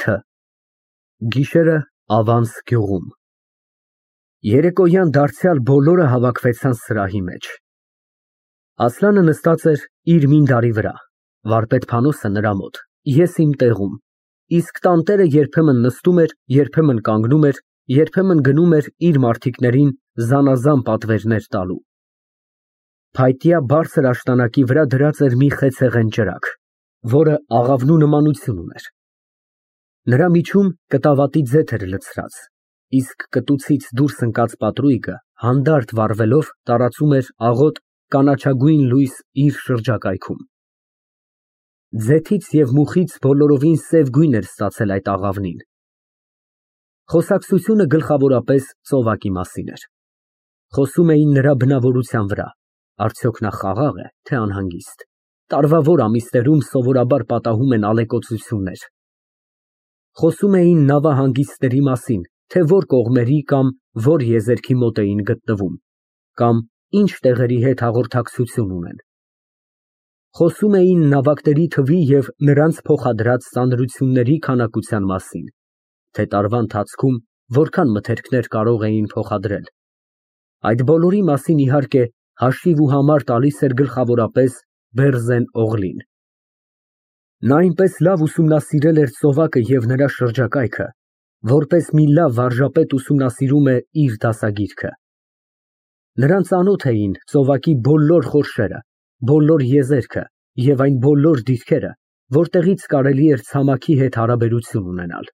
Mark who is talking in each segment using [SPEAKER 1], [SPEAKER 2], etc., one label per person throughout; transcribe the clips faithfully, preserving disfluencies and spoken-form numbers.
[SPEAKER 1] Թ Գիշերը Ավանս գյուղում Երեկոյան դարձյալ բոլորը հավաքվեցան սրահի մեջ։ Ասլանը նստած էր իր մինդարի վրա, վարպետ Փանոսը նրա մոտ, ես իմ տեղում, իսկ տանտերը երբեմն նստում էր, երբեմն կանգնում էր, երբեմն գնում էր իր մարդիկներին զանազան պատվերներ տալու։ Փայտյա բարձր աշտանակի վրա դրած էր մի խեցեղեն ճրագ, որը աղավնու նմանություն ուներ։ Նրա միջում կտավատի ձեթ էր լցրած, իսկ կտուցից դուրս ընկած պատրույգը հանդարտ վառվելով տարածում էր աղոտ կանաչագույն լույս իր շրջակայքում։ Ձեթից և մուխից բոլորովին սև գույն էր ստացել այդ աղավնին։ Խոսակցությունը գլխավորապես ծովակի մասին էր։ Խոսում էին նրա բնավորության վրա, արդյոք նա խաղաղ է, թե անհանգիստ, տարվա որ ամիսներում սովորաբար պատահում են ալեկոծություններ։ Խոսում էին նավահանգիստների մասին, թե որ կողմերի կամ որ եզերքի մոտ էին գտնվում, կամ ինչ տեղերի հետ հաղորդակցություն ունեն։ Խոսում էին նավակների թվի և նրանց փոխադրած ծանրությունների քանակության մասին, թե տարվա ընթացքում որքան մթերքներ կարող էին փոխադրել։ Այդ բոլորի մասին, իհարկե, հաշիվ ու համար տալիս էր գլխավորապես Բերզեն֊Օղլին։ Նա այնպես լավ ուսումնասիրել էր ծովակը և նրա շրջակայքը, որպես մի լավ վարժապետ ուսումնասիրում է իր դասագիրքը։ Նրան ծանոթ էին ծովակի բոլոր խորշերը, բոլոր եզերքը և այն բոլոր դիրքերը, որտեղից կարելի էր ցամաքի հետ հարաբերություն ունենալ։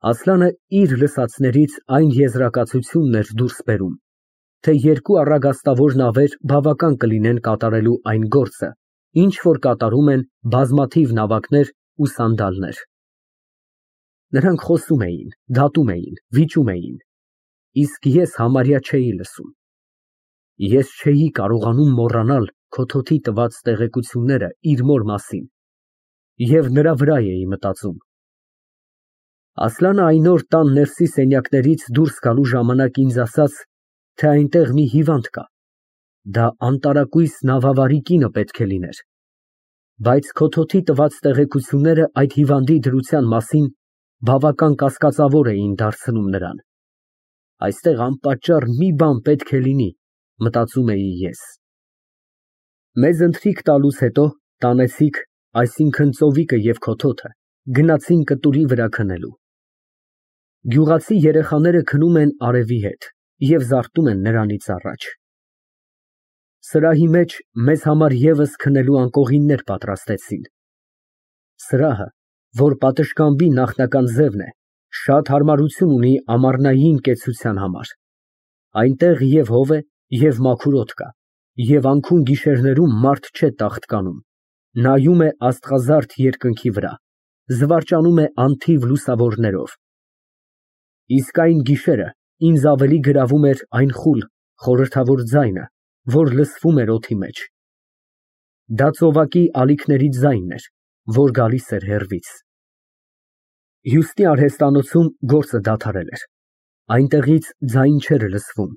[SPEAKER 1] Ասլանը իր լսածներից այն եզրակացությունն էր դուրս բերում, թե երկու առագաստավոր նավեր բավական կլինեն կատարելու այն գործը, ինչ որ կատարում են բազմաթիվ նավակներ ու սանդալներ։ Նրանք խոսում էին, դատում էին, վիճում էին, իսկ ես համարյա չէի լսում։ Ես չէի կարողանում մոռանալ Քոթոթի տված տեղեկությունները իր մոր մասին և նրա վրա էի մտածում։ Ասլանը այն օր տան ներսի սենյակներից դուրս գալու ժամանակ ինձ ասաց, թե այնտեղ մի հիվանդ կա, դա անտարակույս նավավարի կինը պետք է լիներ, բայց Քոթոթի տված տեղեկությունները այդ հիվանդի դրության մասին բավական կասկածավոր էին դարձնում նրան։ Այստեղ անպատճառ մի բան պետք է լինի, մտածում էի ես։ Մեզ ընթրիք տալուց հետո տանեցիք, այսինքն ծովիկը և Քոթոթը գնացին կտուրի վրա քնելու։ Գյուղացի երեխաները քնում են արևի հետ և զարթնում են նրանից առաջ։ Սրահի մեջ մեզ համար ևս քնելու անկողիններ պատրաստեցին։ Սրահը, որ պատշգամբի նախնական ձևն է, շատ հարմարություն ունի ամառնային կեցության համար։ Այնտեղ և հով է, և մաքուր օդ կա, և անքուն գիշերներում մարդ չէ տաղտկանում, նայում է աստղազարդ երկնքի վրա, զվարճանում է անթիվ լուսավորներով։ Իսկ այն գիշերը ինձ ավելի գրավում էր այն խուլ, խորհրդավոր ձայնը, որ լսվում էր օդի մեջ։ Դա ծովակի ալիքների ձայնն էր, որ գալիս էր հեռվից։ Հյուստի արհեստանոցում գործը դադարել էր, այնտեղից ձայն չէր լսվում,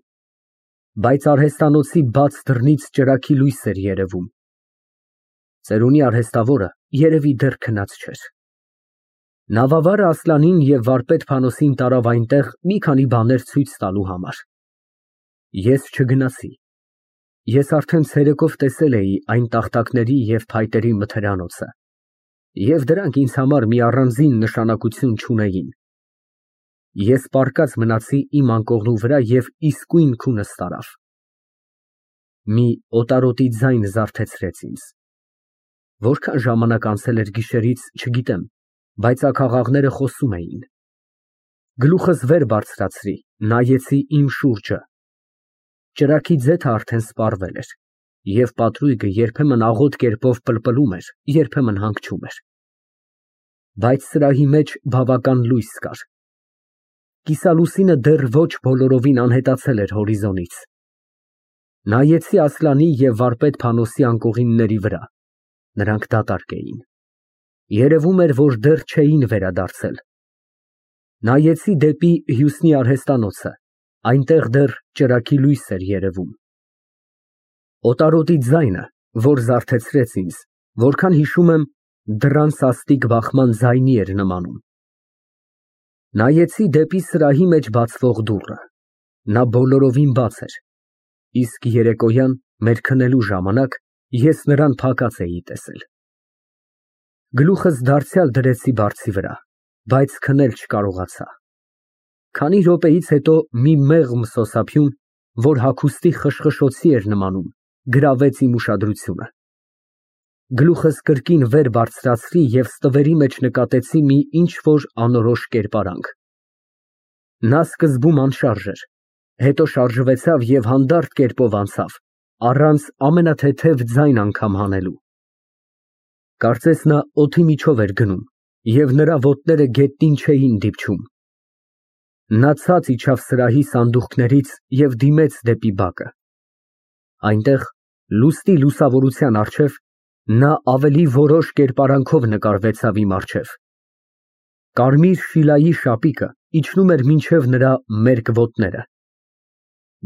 [SPEAKER 1] բայց արհեստանոցի բաց դռնից ճրագի լույս էր երևում։ Ծերունի արհեստավորը երևի դեռ քնած չէր։ Նավավարը Ասլանին և վարպետ Փանոսին տարավ այնտեղ մի քանի բաներ ցույց տալու համար։ Ես չգնացի։ Ես արդեն ցերեկով տեսել էի այն տախտակների և փայտերի մթերանոցը, և դրանք ինձ համար մի առանձին նշանակություն չունեին։ Ես պառկած մնացի իմ անկողնու վրա և իսկույն քունս տարավ։ Մի օտարոտի ձայն զարթեցրեց ինձ։ Որքան ժամանակ անցել էր գիշերից, չգիտեմ, բայց աքաղաղները խոսում էին։ Գլուխս վեր բարձրացրի, նայեցի իմ շուրջը։ Ճրագի ձեթը արդեն սպառվել էր, և պատրույգը երբեմն աղոտ կերպով պլպլում էր, երբեմն հանգչում էր։ Բայց սրահի մեջ բավական լույս կար։ Կիսալուսինը դեռ ոչ բոլորովին անհետացել էր հորիզոնից։ Նայեցի Ասլանի և վարպետ Փանոսի անկողինների վրա, նրանք դատարկ էին։ Երևում էր, որ դեռ չէին վերադարձել։ Նայեցի դեպի հյուսնի արհեստանոցը, այնտեղ դեռ ճրագի լույս էր երևում։ Օտարոտի ձայնը, որ զարթեցրեց ինձ, որքան հիշում եմ, դռան սաստիկ բախման ձայնի էր նմանում։ Նայեցի դեպի սրահի մեջ բացվող դուռը, նա բոլորովին բաց էր, իսկ երեկոյան մեր քնելու ժամանակ ես նրան փակած էի տեսել։ Գլուխս դարձյալ դրեցի բարձի վրա, բայց քնել չկարողացա։ Քանի րոպեից հետո մի մեղմ սոսափյուն, որ հագուստի խշխշոցի էր նմանում, գրավեց իմ ուշադրությունը։ Գլուխս կրկին վեր բարձրացրի և ստվերի մեջ նկատեցի մի ինչ-որ անորոշ կերպարանք։ Նա սկզբում անշարժ էր, հետո շարժվեցավ և հանդարտ կերպով անցավ, առանց ամենաթեթև ձայն անգամ հանելու։ Կարծես նա օդի միջով էր գնում, և նրա ոտները գետնին չէին դիպչում։ Նա ցած իջավ սրահի սանդուղքներից և դիմեց դեպի բակը։ Այնտեղ, լուսնի լուսավորության առջև, նա ավելի որոշ կերպարանքով նկարվեցավ իմ առջև։ Կարմիր շիլայի շապիկը իջնում էր մինչև նրա մերկ ոտները։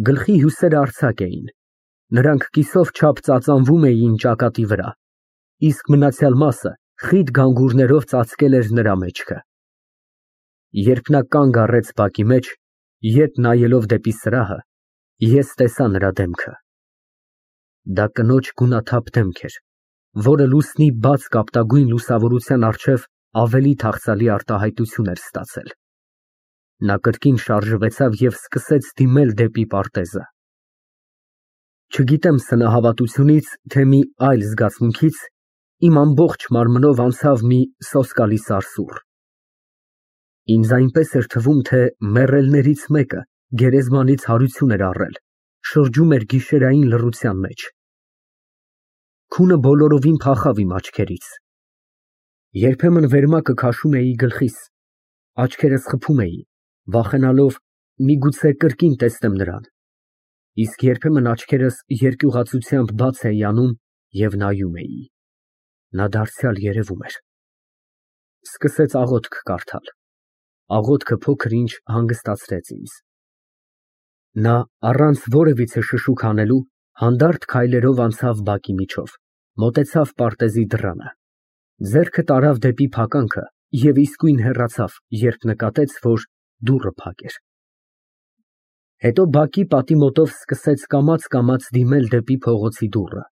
[SPEAKER 1] Գլխի հյուսերը արձակ էին, նրանք կիսով չափ ծածանվում էին ճակատի վրա, իսկ մնացյալ մասը խիտ գանգուրներով ծածկել էր նրա մեջքը։ Երբ նա կանգ առեց բակի մեջ, ետ նայելով դեպի սրահը, ես տեսա նրա դեմքը։ Դա կնոջ գունաթափ դեմք էր, որը լուսնի բաց կապտագույն լուսավորության առջև ավելի թախծալի արտահայտություն էր ստացել։ Նա կրկին շարժվեցավ և սկսեց դիմել դեպի պարտեզը։ Չգիտեմ սնահավատությունից, թե մի այլ զգացմունքից, իմ ամբողջ մարմնով անցավ մի սոսկալի սարսուռ։ Ինձ այնպես էր թվում, թե մեռելներից մեկը գերեզմանից հարություն էր առել, շրջում էր գիշերային լռության մեջ։ Քունը բոլորովին փախավ իմ աչքերից։ Երբեմն վերմակը քաշում էի գլխիս, աչքերս խփում էի, վախենալով միգուցե կրկին տեսնեմ նրան, իսկ երբեմն աչքերս երկյուղացությամբ բաց էի անում և նայում էի։ Նա դարձյալ երևում էր։ Սկսեց աղոթք կարդալ։ Աղոթքը փոքր-ինչ հանգստացրեց ինձ։ Նա առանց որևիցե շշուկ հանելու հանդարտ քայլերով անցավ բակի միջով, մոտեցավ պարտեզի դռանը, ձեռքը տարավ դեպի փականքը և իսկույն հեռացավ, երբ նկատեց, որ դուռը փակ էր։ Հետո բակի պատի մոտով սկսեց կամաց֊կամաց դիմել դեպի փողոցի դուռը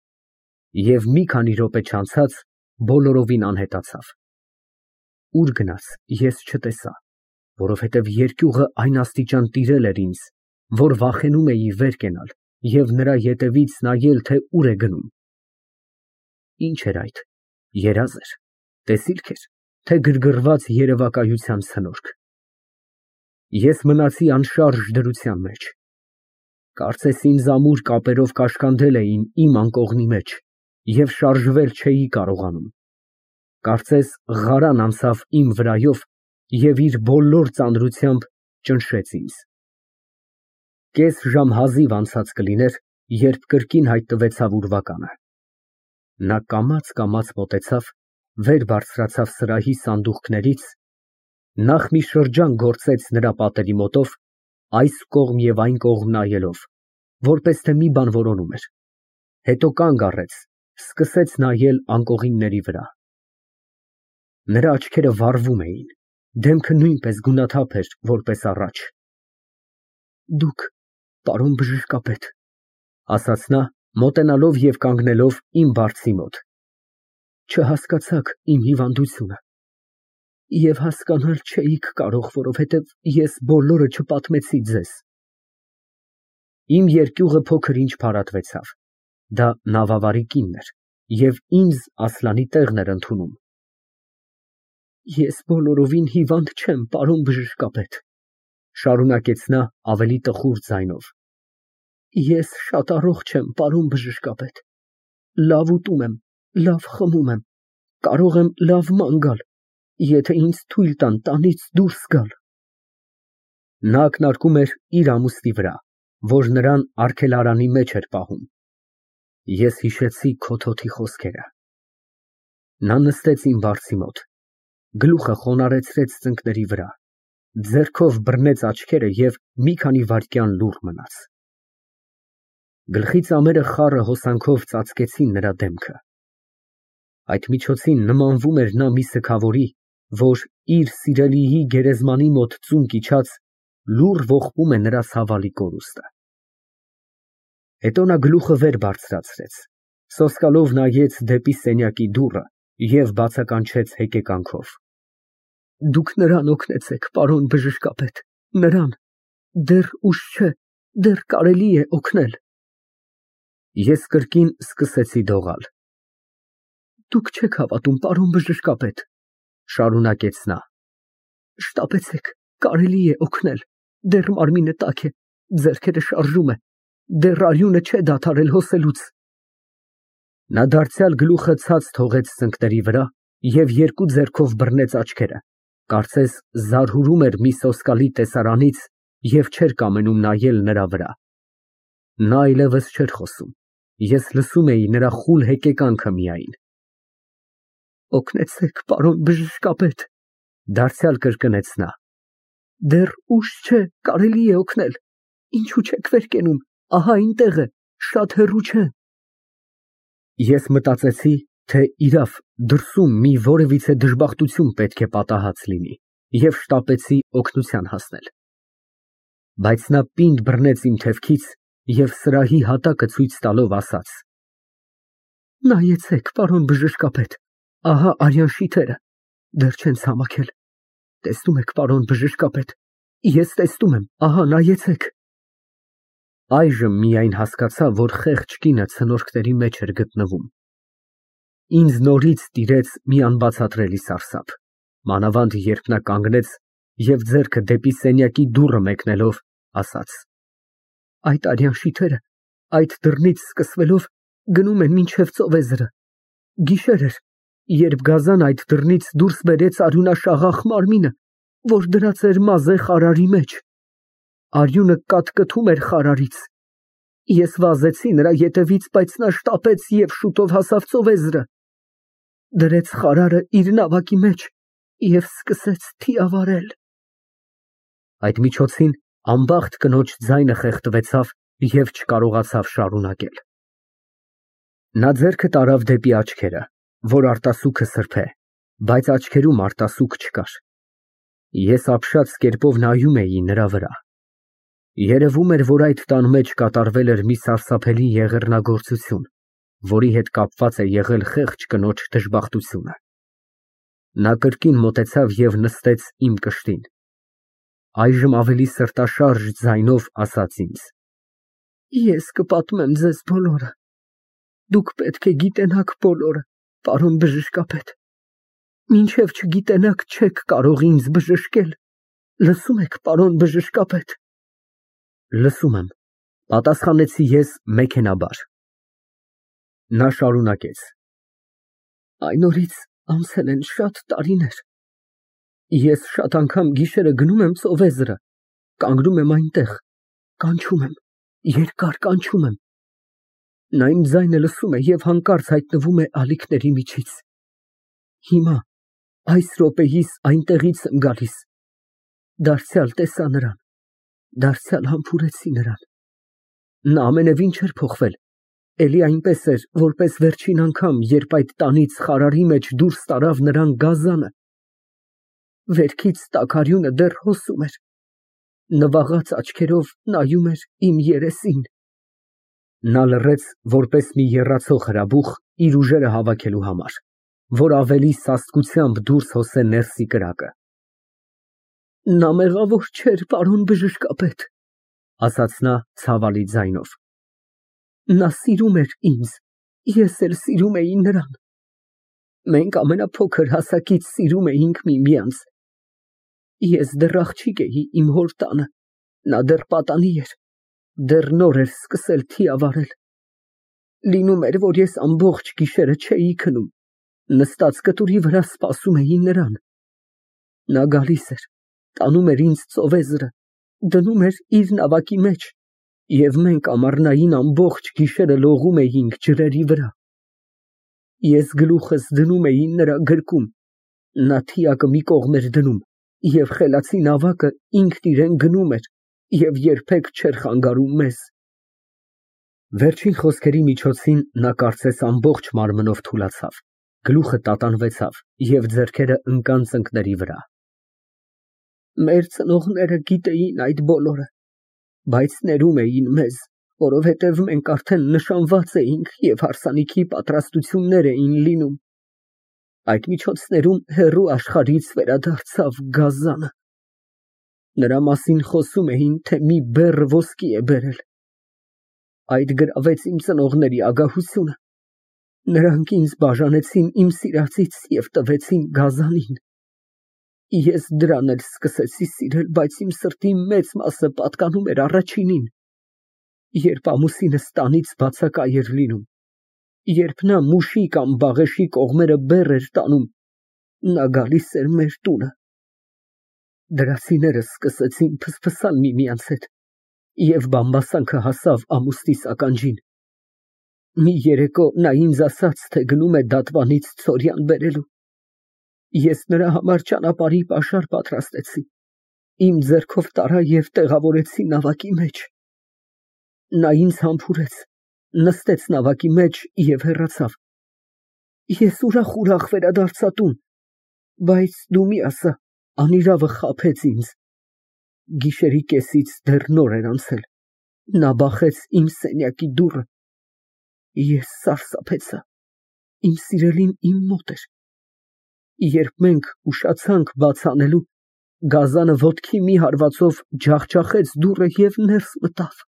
[SPEAKER 1] և մի քանի րոպե չանցած բոլորովին անհետացավ։ Ուր գնաց, ես չտեսա, որովհետև երկյուղը այն աստիճան տիրել էր ինձ, որ վախենում էի վեր կենալ և նրա ետևից նայել, թե ուր է գնում։ Ինչ էր այդ, երազ էր, տեսիլք էր, թե գրգռված երևակայության ցնորք։ Ես մնացի անշարժ դրության մեջ։ Կարծես ինձ ամուր կապերով կաշկանդել էին իմ անկողնի մեջ և շարժվել չէի կարողանում։ Կարծես ղարան անցավ իմ վրայով և իր բոլոր ծանրությամբ ճնշեց ինձ։ Կես ժամ հազիվ անցած կլիներ, երբ կրկին հայտնվեցավ ուրվականը։ Նա կամաց֊կամաց մոտեցավ, վեր բարձրացավ սրահի սանդուղքներից, նախ մի շրջան գործեց նրա պատերի մոտով, այս կողմ և այն կողմ նայելով, որպես թե մի բան որոնում էր, հետո կանգ առեց, սկսեց նայել անկողինների վրա։ Նրա աչքերը վառվում էին, դեմքը նույնպես գունաթափ էր, որպես առաջ։ Դուք, պարոն բժշկապետ, ասաց նա, մոտենալով և կանգնելով իմ բարձի մոտ, չհասկացաք իմ հիվանդությունը և հասկանալ չէիք կարող, որովհետև ես բոլորը չպատմեցի ձեզ։ Իմ երկյուղը փոքր-ինչ փարատվեցավ, դա նավավարի կինն էր և ինձ Ասլանի տեղն էր ընդունում։ Ես բոլորովին հիվանդ չեմ, պարոն բժշկապետ, շարունակեց նա ավելի տխուր ձայնով։ Ես շատ առողջ եմ, պարոն բժշկապետ, լավ ուտում եմ, լավ խմում եմ, կարող եմ լավ ման գալ, եթե ինձ թույլ տան տանից դուրս գալ։ Նա ակնարկում էր իր ամուսնի վրա, որ նրան արգելարանի մեջ էր պահում։ Ես հիշեցի քոթոթի խոսքերը։ Նա նստեց իմ բարձի մոտ, գլուխը խոնարհեցրեց ծնկների վրա, ձեռքով բռնեց աչքերը և մի քանի վայրկյան լուռ մնաց։ Գլխի ծամերը խառը հոսանքով ծածկեցին նրա դեմքը։ Այդ միջոցին նմանվում էր նա մի սգավորի, որ իր սիրելիի գերեզմանի մոտ ծունկ իջած լուռ ողբում է նրա ցավալի կորուստը։ Հետո նա գլուխը վեր բարձրացրեց, սոսկալով նայեց դեպի սենյակի դուռը և բացականչեց հեկեկանքով. Դուք նրան օգնեցեք, պարոն բժշկապետ, նրան, դեռ ուշ չէ, դեռ կարելի է օգնել։ Ես կրկին սկսեցի դողալ։ Դուք չեք հավատում, պարոն բժշկապետ, շարունակեց նա։ Շտապեցեք, կարելի է օգնել, դեռ մարմինը տաք է, ձեռքերը շարժում է, դեռ արյունը չէ դադարել հոսելուց։ Նա դարձյալ գլուխը ցած թողեց ծնկների վրա և երկու ձեռքով բռնեց աչքերը, կարծես զարհուրում էր մի սոսկալի տեսարանից և չէր կամենում նայել նրա վրա։ Նա այլևս չէր խոսում, ես լսում էի նրա խուլ հեկեկանքը միայն։ Օգնեցեք, պարոն բժշկապետ, դարձյալ կրկնեց նա։ Դեռ ուշ չէ, կարելի է օգնել, ինչու չեք վեր կենում, ահա այնտեղ է, շատ հեռու չէ։ Ես մտածեցի, թե իրավ դրսում մի որևիցե դժբախտություն պետք է պատահած լինի և շտապեցի օգնության հասնել։ Բայց նա պինդ բռնեց իմ թևքից և սրահի հատակը ցույց տալով ասաց. Նայեցեք, պարոն բժշկապետ, ահա արյան շիթերը, դեռ չեն ցամաքել, տեսնում եք, պարոն բժշկապետ, ես տեսնում եմ, ահա նայեցեք։ Այժմ միայն հասկացա, որ խեղճ կինը ցնորքների մեջ էր գտնվում։ Ինձ նորից տիրեց մի անբացատրելի սարսափ, մանավանդ երբ նա կանգնեց և ձեռքը դեպի սենյակի դուռը մեկնելով, ասաց. Այդ արյան շիթերը, այդ դռնից սկսվելով, գնում են մինչև ծովեզրը։ Գիշեր էր, երբ գազան այդ դռնից դուրս բերեց արյունաշաղախ մարմինը, որ դրած էր մազե խարարի մեջ։ Արյունը կաթկթում էր խարարից։ Ես վազեցի նրա ետևից, բայց նա շտապեց և շուտով հասավ ծովեզրը։ Դրեց խարարը իր նավակի մեջ և սկսեց թիավարել։ Այդ միջոցին անբախտ կնոջ ձայնը խեղդվեցավ և չկարողացավ շարունակել։ Նա ձեռքը տարավ դեպի աչքերը, որ արտասուքը սրբե, բայց աչքերում արտասուք չկար։ Ես ապշած կերպով նայում էի նրա վրա։ Երևում էր, որ այդ տան մեջ կատարվել էր մի սարսափելի եղեռնագործություն, որի հետ կապված է եղել խեղճ կնոջ դժբախտությունը։ Նա կրկին մոտեցավ և նստեց իմ կշտին։ Այժմ ավելի սրտաշարժ ձայնով ասաց ինձ. Ես կպատմեմ ձեզ բոլորը։ Դուք պետք է գիտենաք բոլորը, պարոն բժշկապետ։ Մինչև չգիտենաք, չեք կարող ինձ բժշկել։ Լսում եք, պարոն բժշկապետ։ Լսում եմ, պատասխանեցի ես մեքենաբար։ Նա շարունակեց. Այն օրից անցել են շատ տարիներ։ Ես շատ անգամ գիշերը գնում եմ ծովեզրը, կանգնում եմ այնտեղ, կանչում եմ, երկար կանչում եմ։ Նա իմ ձայնը լսում է և հանկարծ հայտնվում է ալիքների միջից։ Հիմա, այս րոպեիս այնտեղից եմ գալիս։ Դարձյալ տեսա նրան, դարձյալ համբուրեցի նրան։ Նա ամենևին չէր փոխվել, էլի այնպես էր, որպես վերջին անգամ, երբ այդ տանից խարարի մեջ դուրս տարավ նրան գազանը։ Վերքից տաքարյունը դեռ հոսում էր։ Նվաղած աչքերով նայում էր իմ երեսին։ Նա լռեց, որպես մի եռացող հրաբուխ իր ուժերը հավաքելու համար, որ ավելի սաստկությամբ դուրս հոսե ներսի կրակը։ Նա մեղավոր չէր, պարոն բժշկապետ, ասաց նա ցավալի ձայնով։ Նա սիրում էր ինձ, ես էլ սիրում էի նրան։ Մենք ամենափոքր հասակից սիրում էինք միմյանց։ Ես դեռ աղջիկ էի իմ հոր տանը, նա դեռ պատանի էր, դեռ նոր էր սկսել թիավարել։ Լինում էր, որ ես ամբողջ գիշերը չէի քնում, նստած կտուրի վրա սպասում էի նրան։ Նա գալիս էր, տանում էր ինձ ծովեզրը, դնում էր իր նավակի մեջ, և մենք ամառնային ամբողջ գիշերը լողում էինք ջրերի վրա։ Ես գլուխս դնում էի նրա գրկում, նա թիակը մի կողմ էր դնում, և խելացի նավակը ինքն իրեն գնում էր և երբեք չէր խանգարում մեզ։ Վերջին խոսքերի միջոցին նա կարծես ամբողջ մարմնով թուլացավ Գլուխը տատանվեցավ և ձեռքերը ընկան ծնկների վրա։
[SPEAKER 2] Մեր ծնողները գիտեին այդ բոլորը, բայց ներում էին մեզ, որովհետև մենք արդեն նշանված էինք և հարսանիքի պատրաստություններ էին լինում։ Այդ միջոցներում հեռու աշխարհից վերադարձավ գազանը։ Նրա մասին խոսում էին, թե մի բեռ ոսկի է բերել։ Այդ գրավեց իմ ծնողների ագահությունը։ Նրանք ինձ բաժանեցին իմ սիրածից և տվեցին գազանին։ Ես դրան էլ սկսեցի սիրել, բայց իմ սրտի մեծ մասը պատկանում էր առաջինին։ Երբ ամուսինս տանից բացակայ էր լինում, երբ նա մուշի կամ բաղեշի կողմերը բեռ էր տանում, նա գալիս էր մեր տունը։ Դրացիները սկսեցին փսփսալ միմյանց հետ, և բամբասանքը հասավ ամուստիս ականջին։ Մի երեկո նա ինձ ասաց, թե գնում է դատվանից ցորյան բերելու։ Ես նրա համար ճանապարհի պաշար պատրաստեցի, իմ ձեռքով տարա և տեղավորեցի նավակի մեջ։ Նա ինձ համբուրեց, նստեց նավակի մեջ և հեռացավ։ Ես ուրախ-ուրախ վերադարձա տուն, բայց դու մի ասա, անիրավը խաբեց ինձ։ Գիշերի կեսից դեռ նոր էր անցել, նա բախեց իմ սենյակի դուռը։ Ես սարսափեցա, իմ սիրելին իմ մոտ էր։ Երբ մենք ուշացանք բաց անելու, գազանը ոտքի մի հարվածով ջախջախեց դուռը և ներս մտավ։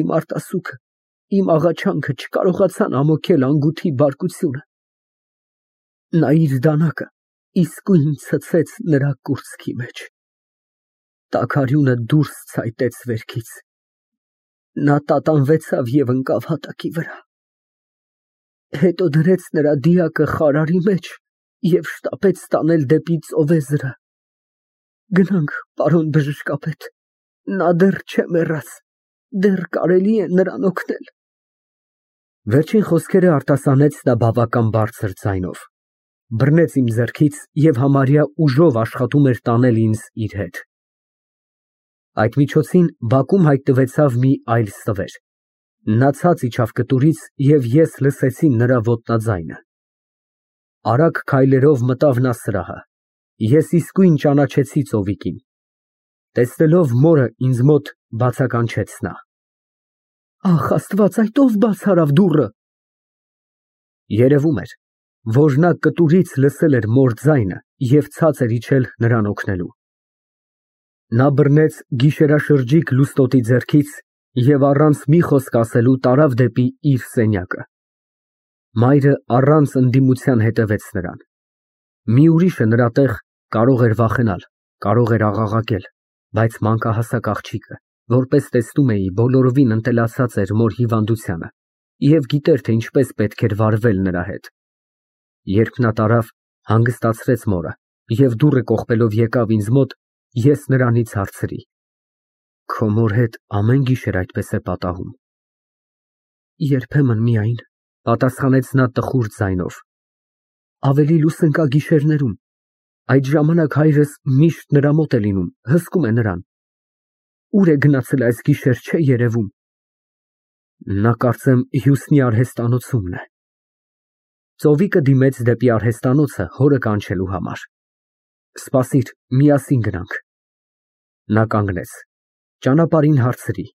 [SPEAKER 2] Իմ արտասուքը, իմ աղաչանքը չկարողացան ամոթել անգութի բարկությունը։ Նա իր դանակը իսկույն ցցեց նրա կուրծքի մեջ։ Տաքարյունը դուրս ցայտեց վերքից։ Նա տատանվեցավ և ընկավ հատակի վրա։ Հետո դրեց նրա դիակը խարարի մեջ և շտապեց տանել դեպի ծովեզրը։ Գնանք, պարոն բժշկապետ, նա դեռ չէ մեռած, դեռ կարելի է նրան օգնել։
[SPEAKER 1] Վերջին խոսքերը արտասանեց նա բավական բարձր ձայնով, բռնեց իմ ձեռքից և համարյա ուժով աշխատում էր տանել ինձ իր հետ։ Այդ միջոցին բակում հայտնվեցավ մի այլ ստվեր։ Նա ցած իջավ կտուրից, և ես լսեցի նրա ոտնաձայնը։ Արագ քայլերով մտավ նա սրահը։ Ես իսկույն ճանաչեցի ծովիկին։ Տեսնելով մորը ինձ մոտ, բացականչեց նա.
[SPEAKER 2] Ախ, Աստված, այդ ո՞վ բաց արավ դուռը։
[SPEAKER 1] Երևում էր, որ նա կտուրից լսել էր մոր ձայնը և ցած էր իջել նրան օգնելու։ Նա բռնեց գիշերաշրջիկ լուստոտի ձեռքից և առանց մի խոսք ասելու տարավ դեպի իր սենյակը։ Մայրը առանց ընդդիմության հետևեց նրան։ Մի ուրիշը նրա տեղ կարող էր վախենալ, կարող էր աղաղակել, բայց մանկահասակ աղջիկը, որպես տեսնում էի, բոլորովին ընտելացած էր մոր հիվանդությանը և գիտեր, թե ինչպես պետք էր վարվել նրա հետ։ Երբ նա տարավ, հանգստացրեց մորը և դուռը կողպելով եկավ ինձ մոտ, ես նրանից հարցրի. Քո մոր հետ ամեն գիշեր այդպես է պատահում։
[SPEAKER 2] Երբեմն միայն,
[SPEAKER 1] պատասխանեց նա տխուր ձայնով։
[SPEAKER 2] Ավելի լուսնկա գիշերներում, այդ ժամանակ հայրս միշտ նրա մոտ է լինում, հսկում է նրան։ Ուր է գնացել այս գիշեր, չէ երևում։
[SPEAKER 1] Նա կարծեմ Հյուսնի արհեստանոցումն է։ Ծովիկը դիմեց դեպի արհեստանոցը հորը կանչելու համար։ Սպասիր, միասին գնանք։ Նա կանգնեց, ճանապարհին հարցրի.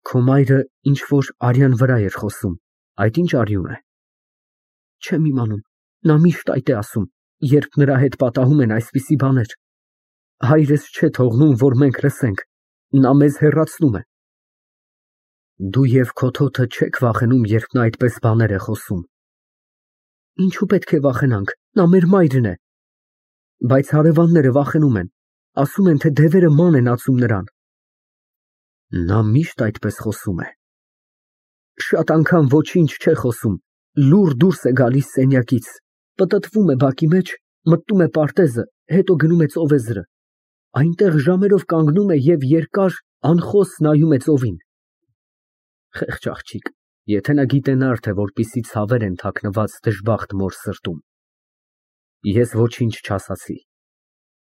[SPEAKER 1] Քո մայրը ինչ֊որ արյան վրա էր խոսում, այդ ինչ արյուն է։
[SPEAKER 2] Չեմ իմանում, նա միշտ այդ է ասում, երբ նրա հետ պատահում են այսպիսի բաներ։ Հայրս չէ թողնում, որ մենք լսենք, նա մեզ հեռացնում է։
[SPEAKER 1] Դու և քո թոթը չեք վախենում, երբ նա այդպես բաներ է խոսում։
[SPEAKER 2] Ինչու պետք է վախենանք, նա մեր մայրն է։ Բայց հարևանները վախենում են, ասում են, թե դևերը ման են ածում նրան։
[SPEAKER 1] Նա միշտ այդպես խոսում է։
[SPEAKER 2] Շատ անգամ ոչինչ չէ խոսում, լուռ դուրս է գալիս սենյակից, պտտվում է բակի մեջ, մտնում է պարտեզը, հետո գնում է ծովեզրը, այնտեղ ժամերով կանգնում է և երկար, անխոս նայում է ծովին։
[SPEAKER 1] Խեղճ աղջիկ, եթե նա գիտենար, թե որպիսի ցավեր են թաքնված դժբախտ մոր սրտում։ Ես ոչինչ չասացի։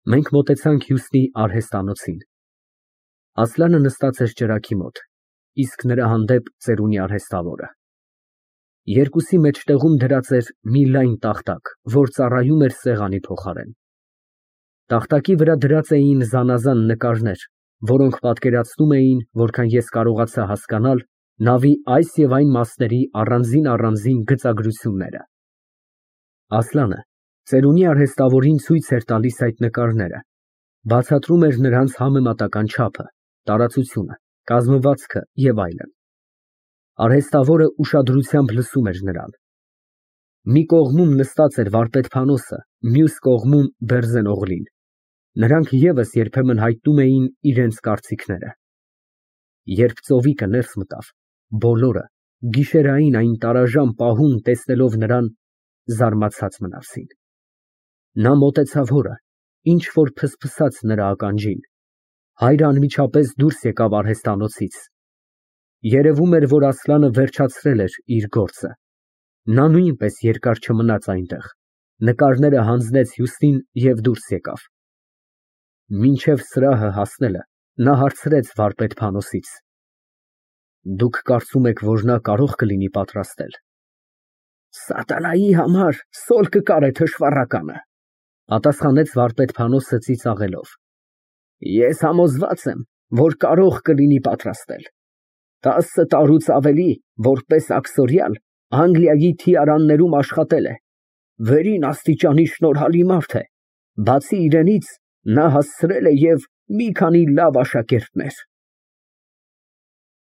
[SPEAKER 1] Մենք մոտեցանք Հյուսնի արհեստանոցին։ Ասլանը նստած էր ճրագի մոտ, իսկ նրա հանդեպ ծերունի արհեստավորը։ Երկուսի մեջտեղում դրած էր մի լայն տախտակ, որ ծառայում էր սեղանի փոխարեն։ Տախտակի վրա դրած էին զանազան նկարներ, որոնք պատկերացնում էին, որքան ես կարողացա հասկանալ, նավի այս և այն մասերի առանձին գծագրությունները։ Ասլանը ծերունի արհեստավորին ցույց էր տալիս այդ նկարները, բացատրում էր նրանց համեմատական չափը, տարածությունը, կազմվածքը և այլն։ Արհեստավորը ուշադրությամբ լսում էր նրան։ Մի կողմում նստած էր վարպետ Փանոսը, մյուս կողմում Բերձենօղլին։ Նրանք ևս երբեմն հայտնում էին իրենց կարծիքները։ Երբ ծովիկը ներս մտավ, բոլորը, գիշերային այն տարաժան պահում տեսնելով նրան, զարմացած մնացին։ Նա մոտեցավ հորը, ինչ֊որ փսփսաց նրա ականջին։ Հայրը անմիջապես դուրս եկավ արհեստանոցից։ Երևում էր, որ Ասլանը վերջացրել էր իր գործը։ Նա նույնպես երկար չմնաց այնտեղ, նկարները հանձնեց հյուստին և դուրս եկավ։ Մինչև սրահը հասնելը նա հարցրեց վարպետ Փանոսից. «Դուք կարծում եք, որ նա կարող կլինի պատրաստել»։ «Սատանայի համար սոլ կկարե թշվառականը», պատասխանեց վարպետ Փանոսը ծիծաղելով։ «Ես համոզված եմ, որ կարող կլինի պատրաստել։ Տասը տարուց ավելի, որպես աքսորյալ, Անգլիայի թիարաններում աշխատել է, վերին աստիճանի շնորհալի մարդ է, բացի իրենից, նա հասցրել է և մի քանի լավ աշակերտներ»։